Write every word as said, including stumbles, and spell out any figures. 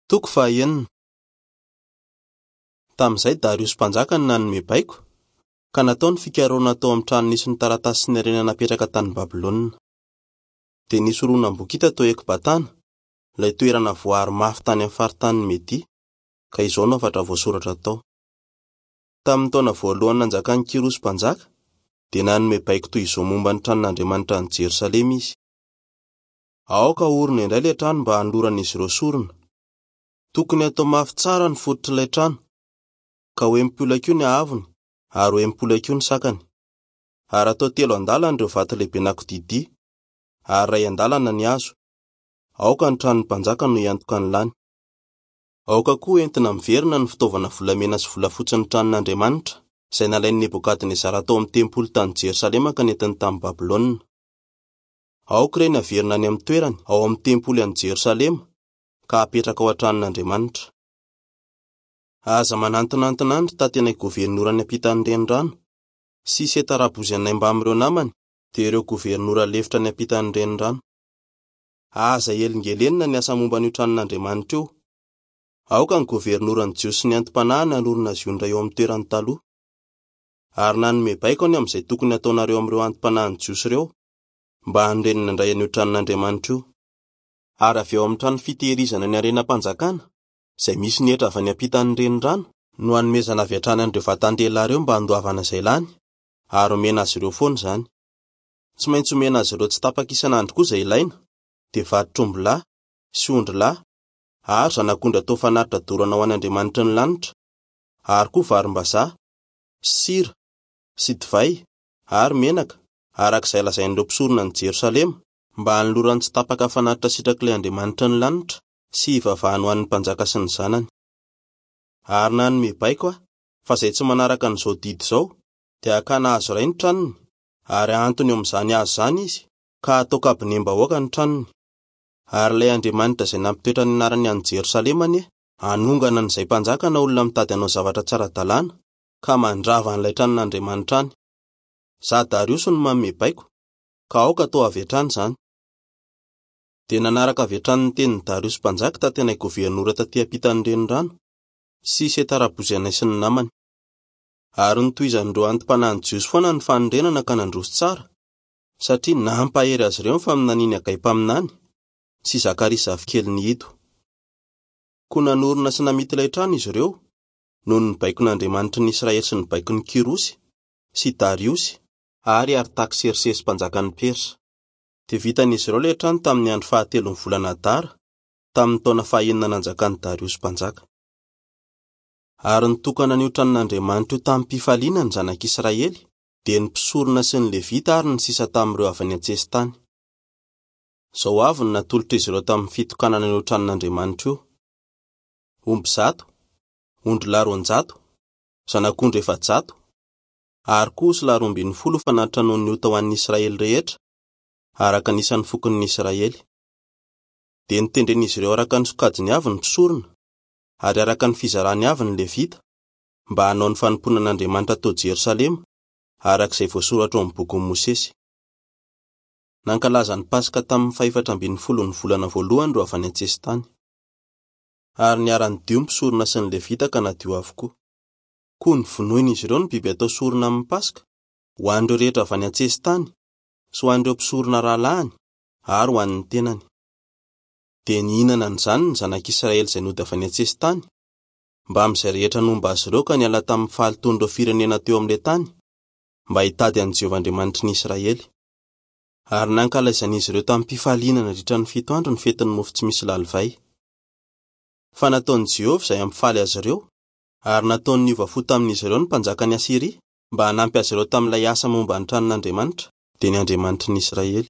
Toko fahaenina. Tamin'izay Dariosy mpanjaka no nanome baiko, ka natao ny fikarohana tao amin'ny trano nisy ny taratasy sy ny harena napetraka tany Babylona. Dia nisy horonam-boky hita tao Ekbatana, ilay toerana voaaro mafy tany amin'ny faritanin'i Media, ka izao no hafatra voasoratra tao. Tamin'ny taona voalohany nanjakan'i Kyrosy mpanjaka, dia nanome baiko toy izao momba ny tranon'Andriamanitra any Jerosalema izy: Aoka haorina indray ilay trano mba hanoloran'izy ireo sorona. Tokony hatao mafy tsara ny fototr'ilay trano, ka ho enimpolo hakiho ny haavony ary ho enimpolo hakiho ny sakany. Ary atao telo andalana ireo vato lehibe anankididia, ary iray andalana ny hazo. Aoka ny tranon'ny mpanjaka no hiantoka ny lany. Aoka koa entina miverina ny fitaovana volamena sy volafotsy ny tranon'Andriamanitra, izay nalain'i Nebokadnezara tao amin'ny tempoly tany Jerosalema ka nentiny tamin'i Babylona. Aoka ireny haverina any amin'ny toerany ao amin'ny tempoly any Jerosalema, ka hapetraka ao an-tranon'Andriamanitra. Aza manantonantona andry tatenay governora any ampitan'ny renirano, sy Setarabozy anay mbamin'ireo namany, dia ireo governora lefitra any ampitan'ny renirano. Aza helingelenina ny asa momba an'io tranon'Andriamanitra io. Aoka ny governoran'ny Jiosy sy ny anti-panahy hanorina azy io indray eo amin'ny toerany taloha. Ary nanome baiko any amin'izay tokony hataonareo amin'ireo anti-panahin'ny Jiosy ireo, mba hanorenana indray an'io tranon'Andriamanitra io. Ary avy eo amin'ny trano fitehirizana ny harenam-panjakana, izay misy ny hetra avy any ampitan'ny renirano, no hanomezana avy hatrany an'ireo vatan-dehilahy ireo mba handoavana izay lany, ary omena azy ireo foana izany. Tsy maintsy omena azy ireo tsy tapaka isan'andro koa izay ilaina, dia vatotr'ombilahy sy ondrilahy ary zanak'ondry atao fanatitra dorana ho an'Andriamanitry ny lanitra, ary koa varim-bazaha, sira sy divay ary menaka, araka izay lazain'ireo mpisorona any Jerosalema, mba hanolorany tsy tapaka fanatitra sitrak'ilay Andriamanitry ny lanitra sy hivavahany ho an'ny mpanjaka sy ny zanany. Ary nanome baiko aho fa izay tsy manaraka an'izao didy izao dia hakana hazo iray ny tranony, ary hahantony eo amin'izany hazo izany izy, ka hatao kabinem-bahoaka ny tranony. Ary ilay Andriamanitra izay nampitoetra ny anarany any Jerosalema anie hanongana an'izay mpanjaka na olona mitady hanao zavatra tsara-dalàna, ka mandrava an'ilay tranon'Andriamanitra any. Izaho Dariosy no manome baiko, ka aoka atao avy hatrany izany. Dia nanaraka avy hatrany ny tenin'i Dariosy mpanjaka tatenay governora taty ampitan'ny renirano, sy Setarabozy anay sy ny namany. Ary nitohizan'ireo anti-panahin'ny Jiosy foana ny fanorenana ka nandroso tsara, satria nampahery azy ireo ny faminanian'i Hagay mpaminany sy Zakaria zafikelin'i Ido. Koa nanorina sy namita ilay trano izy ireo, noho ny baikon'Andriamanitry ny Israely sy ny baikon'i Kyrosy sy Dariosy ary Artaksersesy mpanjakan'ny Persa. Dia vitan'izy ireo ilay trano tamin'ny andro fahatelon'ny volana Adara, tamin'ny taona fahenina nanjakan'i Dariosy mpanjaka. Ary nitokana an'io tranon'Andriamanitra io tamim-pifaliana ny zanak'Israely, dia ny mpisorona sy ny Levita ary ny sisa tamin'ireo avy any an-tsesitany. Izao avy no natolotr'izy ireo tamin'ny fitokanana an'io tranon'Andriamanitra io: omby zato, ondrilahy roanjato, zanak'ondry efajato, ary koa osilahy roa ambin'ny folo fanatitra noho ny ota ho an'ny Israely rehetra, araka ny isan'ny fokon'ny Israely. Dia notendren'izy ireo araka ny sokajiny avy ny mpisorona, ary araka ny fizarany avy ny Levita, mba hanao ny fanompoana an'Andriamanitra tao Jerosalema, araka izay voasoratra ao amin'ny bokin'i Mosesy. Nankalaza ny Paska tamin'ny fahefatra ambin'ny folon'ny volana voalohany ireo avy any an-tsesitany. Ary niara-nidio ny mpisorona sy ny Levita ka nadio avokoa. Koa novonoin'izy ireo ny biby atao sorona amin'ny Paska, ho an'ireo rehetra avy any an-tsesitany, sy ho an'ireo mpisorona rahalahiny, ary ho an'ny tenany. Dia nihinana an'izany ny zanak'Israely izay nody avy any an-tsesitany, mbamin'izay rehetra nomba azy ireo ka niala tamin'ny fahalotoan'ireo firenena teo amin'ilay tany, mba hitady an'i Jehovah Andriamanitry ny Israely. Ary nankalaizan'izy ireo tamin'ny-pifaliana nandritra ny fito andro ny fetin'ny mofo tsy misy lalivay. Fa nataon'i Jehovah izay hampifaly azy ireo, ary nataony niova fo tamin'izy ireo ny mpanjakan'i Asyria mba hanampy azy ireo tamin'ilay asa momba ny tranon'Andriamanitra, dia ny Andriamanitry ny Israely.